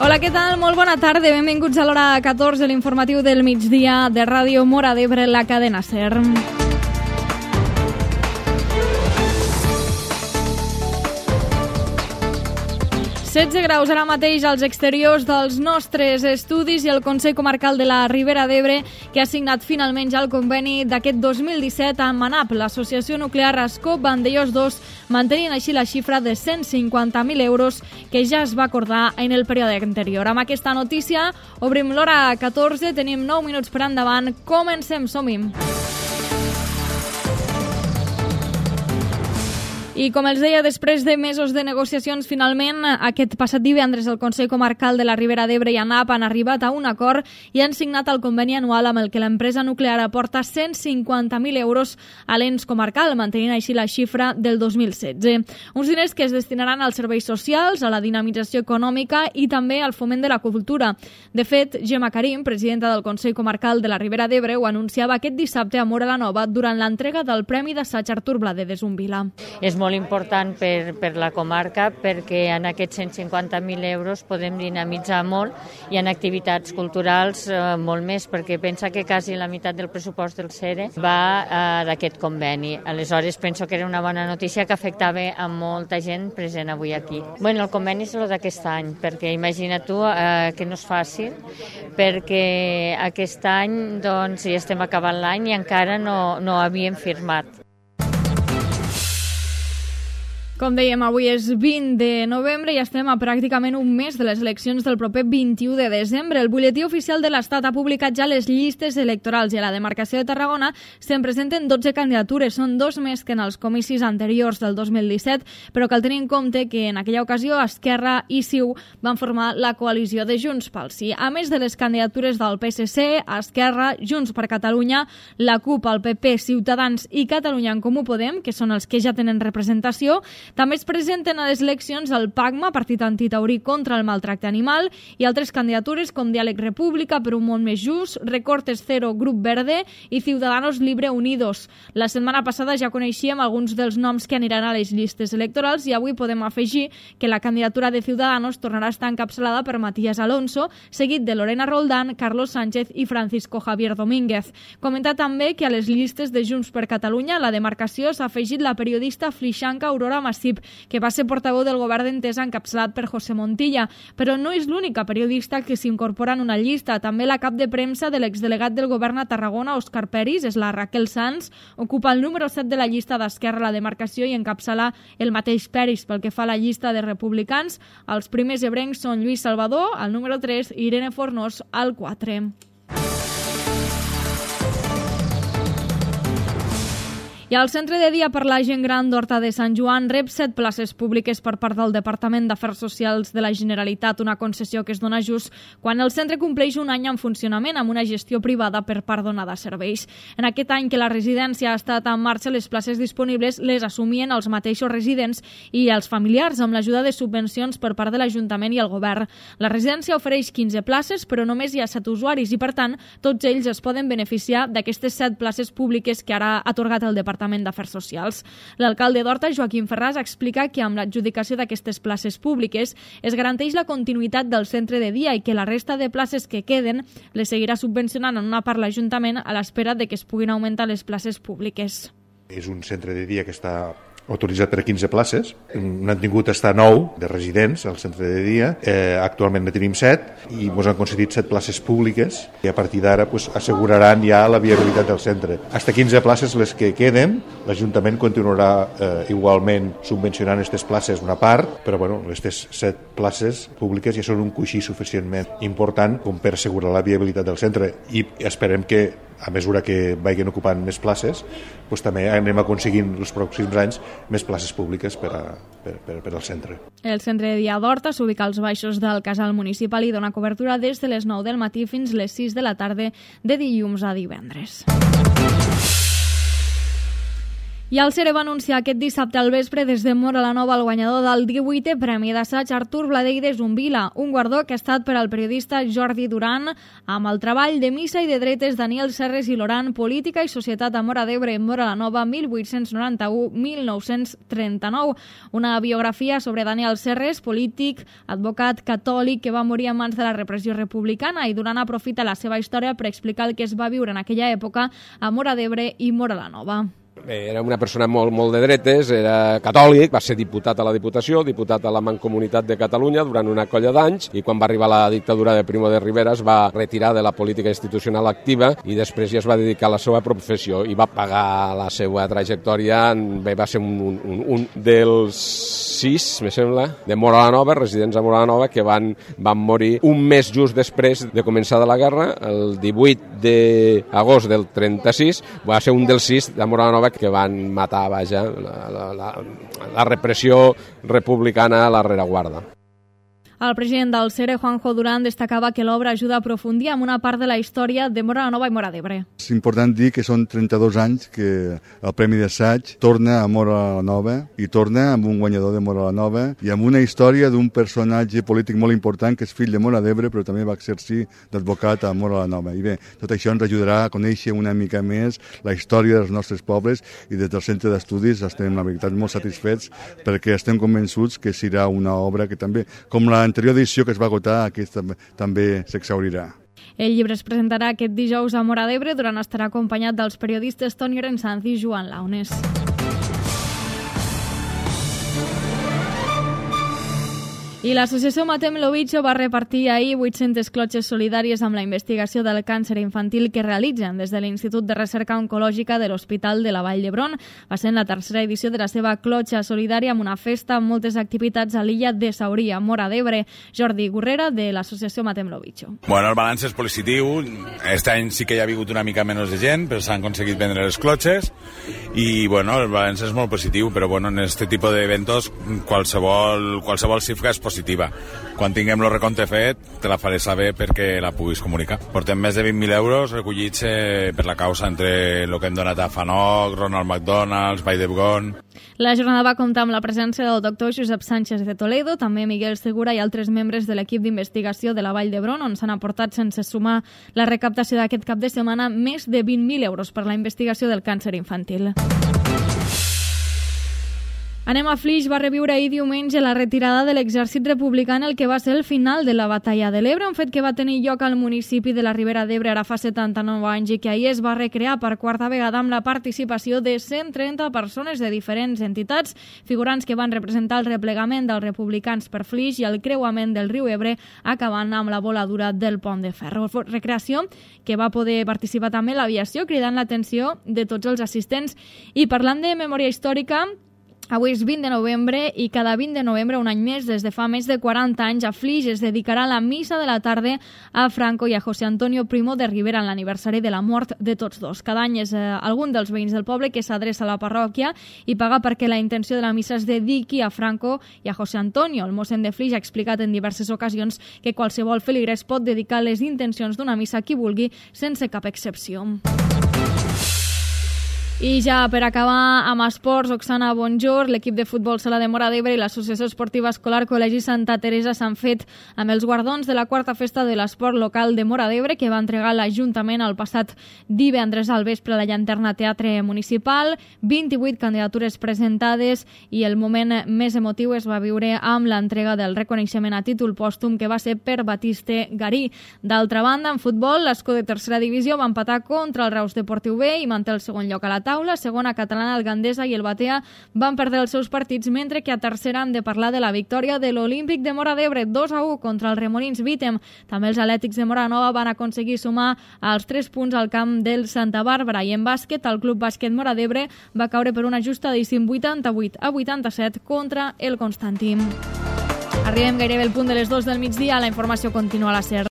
Hola, què tal? Molt bona tarda. Benvinguts a l'hora 14, l'informatiu del migdia de Ràdio Móra d'Ebre, la cadena SER. 16 graus ara mateix als exteriors dels nostres estudis i el Consell Comarcal de la Ribera d'Ebre, que ha signat finalment ja el conveni d'aquest 2017 amb ANAP, l'Associació Nuclear Ascó Vandellòs 2, mantenint així la xifra de 150.000 euros que ja es va acordar en el període anterior. Amb aquesta notícia obrim l'hora 14, tenim 9 minuts per endavant, comencem, som-hi! I com els deia, després de mesos de negociacions, finalment, aquest passat divendres el Consell Comarcal de la Ribera d'Ebre i ANAP han arribat a un acord i han signat el conveni anual amb el que l'empresa nuclear aporta 150.000 euros a l'ens comarcal, mantenint així la xifra del 2016. Uns diners que es destinaran als serveis socials, a la dinamització econòmica i també al foment de la cultura. De fet, Gemma Karim, presidenta del Consell Comarcal de la Ribera d'Ebre, ho anunciava aquest dissabte a Móra la Nova durant l'entrega del Premi d'Assaig Artur Bladedes Umbila. És molt important per la comarca perquè en aquests 150.000 euros podem dinamitzar molt i en activitats culturals molt més, perquè pensa que quasi la meitat del pressupost del CERE va d'aquest conveni. Aleshores penso que era una bona notícia que afectava a molta gent present avui aquí. Bueno, el conveni és el d'aquest any, perquè imagina tu que no és fàcil, perquè aquest any doncs, ja estem acabant l'any i encara no havíem firmat. Com dèiem, avui és 20 de novembre i estem a pràcticament un mes de les eleccions del proper 21 de desembre. El butlletí oficial de l'Estat ha publicat ja les llistes electorals i a la demarcació de Tarragona se'n presenten 12 candidatures. Són 2 més que en els comicis anteriors del 2017, però cal tenir en compte que en aquella ocasió Esquerra i CiU van formar la coalició de Junts pel Sí. A més de les candidatures del PSC, Esquerra, Junts per Catalunya, la CUP, el PP, Ciutadans i Catalunya en Comú Podem, que són els que ja tenen representació, també es presenten a les eleccions el PACMA, Partit Antitaurí contra el Maltracte Animal, i altres candidatures com Diàleg República per un món més just, Recortes Cero, Grup Verde i Ciudadanos Libre Unidos. La setmana passada ja coneixíem alguns dels noms que aniran a les llistes electorals i avui podem afegir que la candidatura de Ciudadanos tornarà a estar encapçalada per Matías Alonso, seguit de Lorena Roldán, Carlos Sánchez i Francisco Javier Domínguez. Comentar també que a les llistes de Junts per Catalunya a la demarcació s'ha afegit la periodista flixanca Aurora Massip, que va ser portaveu del govern d'Entesa encapçalat per José Montilla, però no és l'única periodista que s'incorpora en una llista. També la cap de premsa de l'exdelegat del govern a Tarragona, Òscar Peris, és la Raquel Sanz, ocupa el número 7 de la llista d'Esquerra a la demarcació i encapçala el mateix Peris. Pel que fa a la llista de republicans, els primers ebrencs són Lluís Salvador, al número 3, i Irene Fornós, al 4. I el Centre de Dia per la Gent Gran d'Horta de Sant Joan rep 7 places públiques per part del Departament d'Afers Socials de la Generalitat, una concessió que es dona just quan el centre compleix un any en funcionament amb una gestió privada per part donada serveis. En aquest any que la residència ha estat en marxa, les places disponibles les assumien els mateixos residents i els familiars amb l'ajuda de subvencions per part de l'Ajuntament i el Govern. La residència ofereix 15 places, però només hi ha 7 usuaris i, per tant, tots ells es poden beneficiar d'aquestes 7 places públiques que ara ha atorgat el Departament d'Afers Socials. L'alcalde d'Horta, Joaquim Ferràs, explica que amb l'adjudicació d'aquestes places públiques es garanteix la continuïtat del centre de dia i que la resta de places que queden les seguirà subvencionant en una part l'Ajuntament a l'espera de que es puguin augmentar les places públiques. És un centre de dia que està autoritzat per a 15 places. N'han tingut estar 9 de residents al centre de dia. Actualment ne tenim 7 i ens han concedit 7 places públiques i a partir d'ara asseguraran ja la viabilitat del centre. Hasta 15 places les que queden, l'Ajuntament continuarà igualment subvencionant aquestes places una part, però aquestes 7 places públiques ja són un coixí suficientment important com per assegurar la viabilitat del centre i esperem que a mesura que vagin ocupant més places, també anem aconseguint els pròxims anys més places públiques per al centre. El centre de dia d'Horta s'ubica als baixos del casal municipal i dona cobertura des de les 9 del matí fins les 6 de la tarda de dilluns a divendres. I el CERE va anunciar aquest dissabte al vespre des de Móra la Nova el guanyador del 18è Premi d'Assaig Artur Bladell de Zumbila, un guardó que ha estat per al periodista Jordi Duran amb el treball de Missa i de Dretes Daniel Serres i Loran, Política i Societat a Móra d'Ebre, Móra la Nova, 1891-1939. Una biografia sobre Daniel Serres, polític, advocat catòlic que va morir a mans de la repressió republicana, i Duran aprofita la seva història per explicar el que es va viure en aquella època a Móra d'Ebre i Móra la Nova. Era una persona molt de dretes, era catòlic, va ser diputat a la Diputació, diputat a la Mancomunitat de Catalunya durant una colla d'anys, i quan va arribar la dictadura de Primo de Rivera es va retirar de la política institucional activa i després ja es va dedicar a la seva professió i va pagar la seva trajectòria. Bé, va ser un dels 6, me sembla, de Móra la Nova, residents a Móra la Nova, que van morir un mes just després de començar la guerra, el 18 d'agost del 36, va ser un dels 6 de Móra la Nova que van matar, vaja, la repressió republicana a la rereguarda. El president del CERE, Juanjo Durán, destacava que l'obra ajuda a aprofundir en una part de la història de Móra la Nova i Móra d'Ebre. És important dir que són 32 anys que el Premi d'Assaig torna a Móra la Nova i torna amb un guanyador de Móra la Nova i amb una història d'un personatge polític molt important que és fill de Móra d'Ebre però també va exercir d'advocat a Móra la Nova. I bé, tot això ens ajudarà a conèixer una mica més la història dels nostres pobles i des del Centre d'Estudis estem, la veritat, molt satisfets perquè estem convençuts que serà una obra que també, com l'anterior edició que es va agotar, aquesta també s'exhaurirà. El llibre es presentarà aquest dijous a Móra d'Ebre, Durant estarà acompanyat dels periodistes Toni Rensanz i Joan Launes. I l'associació Matem Lovicho va repartir ahir 800 clotxes solidàries amb la investigació del càncer infantil que realitzen des de l'Institut de Recerca Oncològica de l'Hospital de la Vall d'Hebron. Va ser en la tercera edició de la seva clotxa solidària amb una festa amb moltes activitats a l'illa de Sauria, Móra d'Ebre. Jordi Gurrera, de l'associació Matem Lovicho. Bueno, el balanç és positiu. Aquest any sí que hi ha hagut una mica menys de gent, però s'han aconseguit vendre les clotxes i bueno, el balanç és molt positiu, però bueno, en aquest tipus d'eventos qualsevol xifra és positiva. Quan tinguem el recompte fet, te la faré saber perquè la puguis comunicar. Portem més de 20.000 euros recollits per la causa entre el que hem donat a FANOC, Ronald McDonald's, Vall d'Hebron. La jornada va comptar amb la presència del doctor Josep Sánchez de Toledo, també Miguel Segura i altres membres de l'equip d'investigació de la Vall d'Hebron, on s'han aportat, sense sumar la recaptació d'aquest cap de setmana, més de 20.000 euros per la investigació del càncer infantil. Anem a Flix. Va reviure ahir diumenge la retirada de l'exèrcit republicà en el que va ser el final de la batalla de l'Ebre, un fet que va tenir lloc al municipi de la Ribera d'Ebre ara fa 79 anys i que ahir es va recrear per quarta vegada amb la participació de 130 persones de diferents entitats, figurants que van representar el replegament dels republicans per Flix i el creuament del riu Ebre, acabant amb la voladura del pont de ferro. Recreació que va poder participar també l'aviació, cridant l'atenció de tots els assistents. I parlant de memòria històrica, avui és 20 de novembre i cada 20 de novembre, un any més, des de fa més de 40 anys, a Flix es dedicarà la missa de la tarda a Franco i a José Antonio Primo de Rivera en l'aniversari de la mort de tots dos. Cada any és algun dels veïns del poble que s'adreça a la parròquia i paga perquè la intenció de la missa es dediqui a Franco i a José Antonio. El mossèn de Flix ha explicat en diverses ocasions que qualsevol feligrè es pot dedicar les intencions d'una missa a qui vulgui, sense cap excepció. I ja per acabar amb esports, Oksana Bonjour, l'equip de futbol sala de Móra d'Ebre i l'Associació Esportiva Escolar Col·legi Santa Teresa s'han fet amb els guardons de la quarta festa de l'esport local de Móra d'Ebre que va entregar l'Ajuntament el passat divendres al vespre a la Llanterna Teatre Municipal. 28 candidatures presentades i el moment més emotiu es va viure amb l'entrega del reconeixement a títol pòstum que va ser per Batiste Garí. D'altra banda, en futbol, l'Escó de tercera divisió va empatar contra el Reus Deportiu B i manté el segon lloc a la taula. Segona catalana, el Gandesa i el Batea van perdre els seus partits, mentre que a tercera han de parlar de la victòria de l'Olímpic de Móra d'Ebre 2-1 contra els Remolins Vítem. També els Atlètics de Móra Nova van aconseguir sumar els 3 punts al camp del Santa Bàrbara. I en bàsquet, el Club Bàsquet Móra d'Ebre va caure per una ajustadíssim 88-87 contra el Constantí. Arribem gairebé al punt de les 2 del migdia. La informació continua a la SER.